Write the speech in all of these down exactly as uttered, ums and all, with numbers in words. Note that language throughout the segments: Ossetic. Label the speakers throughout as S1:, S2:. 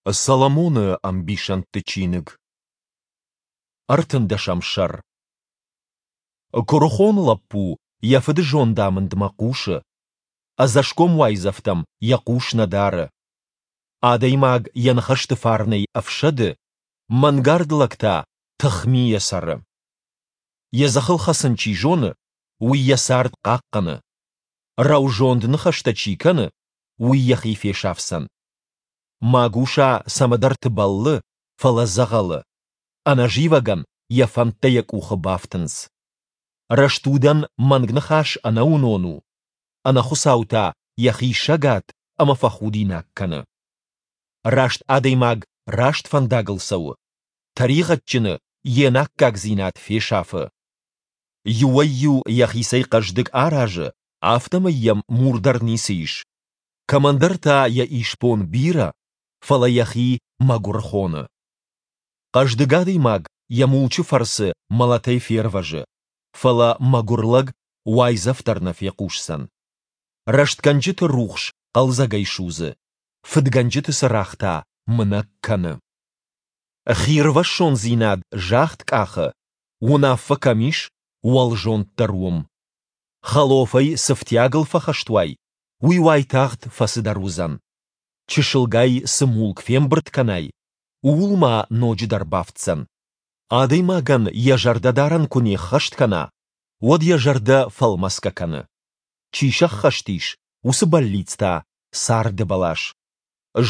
S1: Соломоны ӕмбисӕндты чиныг. Ӕртындӕсӕм сӕр. Куырыхон лӕппу йӕ фыды зондамындмӕ хъусы, ӕдзӕсгом уайдзӕфтӕм йӕ хъус нӕ дары. Адӕймаг йӕ ныхӕсты фарнӕй ӕфсӕды, мӕнгард лӕг та тыхмийӕ цӕры. Йӕ дзыхыл хӕцын чи зоны, уый йӕ цард хъахъхъӕны. Рӕузонд ныхӕстӕ чи кӕны, уый йӕхи фесафдзӕн. Магуса цӕмӕдӕрты бӕллы, фӕлӕ дзӕгъӕлы. Ӕнӕзивӕгӕн йӕ фӕндтӕ йӕ къухы бафтынц. Рӕстудӕн мӕнг ныхас ӕнӕуынон у, ӕнӕхуыцау та йӕхи сӕгад ӕмӕ фӕхудинаг кӕны. Раст адӕймаг раст фӕндагыл цӕуы, тӕригъӕдджыны йе наккагдзинад фесафы. Иуӕй-иу йӕхицӕй хъӕздыг аразы, афтӕмӕй йӕм мур дӕр ницы ис. Кӕмӕндӕр та йӕ исбон бирӕ, фӕлӕ йӕхи мӕгуыр хоны. Хъӕздыг адӕймаг йӕ мулчы фӕрцы мӕлӕтӕй фервӕзы, фӕлӕ мӕгуыр лӕг уайдзӕф дӕр нӕ фехъусдзӕн. Рӕстгӕнджыты рухс хъӕлдзӕгӕй судзы, фыдгӕнджыты цырагъ та мынӕг кӕны. Хирвӕссондзинад загъд къахы, уынаффӕ кӕм ис, уӕлзонд дӕр уым. Хӕлофӕй цы фтиагыл фӕхӕст уай, уый уайтагъд фӕцыдӕр уыдзӕн. Чысылгай цы мулк фембырд кӕнай, ууыл ма ноджыдӕр бафтдзӕн. Адӕймагӕн йӕ зӕрдӕдарӕн куы не ххӕст кӕна, уӕд йӕ зӕрдӕ фӕлмӕцгӕ кӕны. Чи сӕххӕст ис, уыцы бӕллиц та царды бӕлас.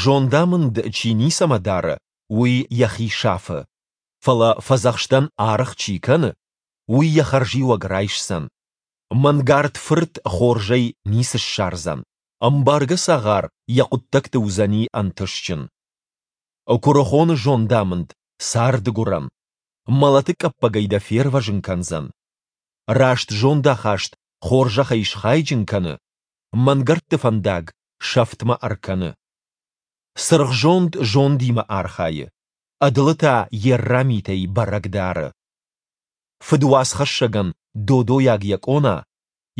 S1: Зондамынд чи ницӕмӕ дары, уый йӕхи сафы, фӕлӕ фӕдзӕхстӕн аргъ чи кӕны, уый йӕ хӕрзиуӕг райсдзӕн. Мӕнгард фырт хорзӕй ницы ссардзӕн, ӕмбаргӕ цагъар йӕ хъуыддӕгты уыдзӕни ӕнтыстджын. Куырыхоны зондамынд царды гуырӕн, мӕлӕты къӕппӕгӕй дӕ фервӕзын кӕндзӕн. Раст зондахаст хорзӕхӕй схайджын кӕны, мӕнгӕрдты фӕндаг сӕфтмӕ ӕркӕны. Цыргъзонд зондимӕ архайы, ӕдылы та йе рра митӕй бӕрӕг дары. Фыдуацхӕссӕгӕн додойаг йӕ къона,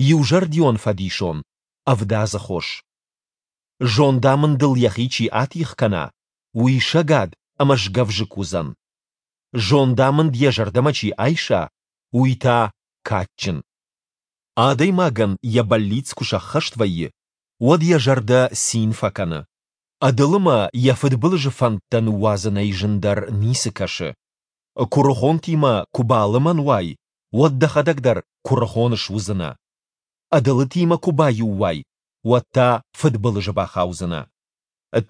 S1: иузӕрдион фӕдисон, ӕвдадзы хос. Зондамындыл йӕхи чи атигъ кӕна, уый сӕгад ӕмӕ сгӕвзыкк уыдзӕн. Зондамынд йӕ зӕрдӕмӕ чи айса, уый та кадджын. Адӕймагӕн йӕ бӕллиц куы сӕххӕст вӕййы, уӕд йӕ зӕрдӕ цин фӕкӕны. Ӕдылымӕ йӕ фыдбылызы фӕндтӕ ныууадзынӕй зындӕр ницы кӕсы. Куырыхонтимӕ куы балымӕн уай, уӕд дӕхӕдӕг дӕр куырыхон суыдзынӕ. Ӕдылытимӕ куы баиу уай, уӕд та фыдбылызы бахаудзынӕ.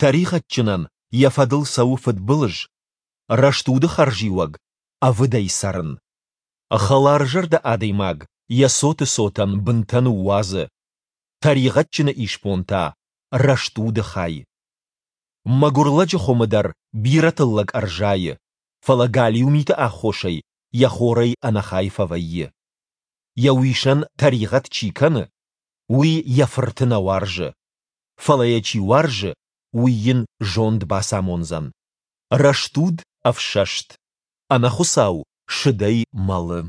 S1: Тӕригъӕдджынӕн йӕ фӕдыл цӕуы фыдбылыз, рӕстуды хӕрзиуӕг ӕвыдӕй цӕрын. Хӕларзӕрдӕ адӕймаг йӕ цоты цотӕн бынтӕ ныууадзы, тӕригъӕдджыны исбон та рӕстуды хай. Мӕгуыр лӕджы хуымы дӕр бирӕ тыллӕг ӕрзайы, фӕлӕ галиу миты аххосӕй йӕ хорӕй ӕнӕхай фӕвӕййы. Йӕ уисӕн тӕригъӕд чи кӕны, уый йӕ фырты нӕ уарзы, фӕлӕ йӕ чи уарзы, уый йын зонд бацамондзӕн. Рӕстуд ӕфсӕст, ӕнӕхуыцау сыдӕй мӕлы.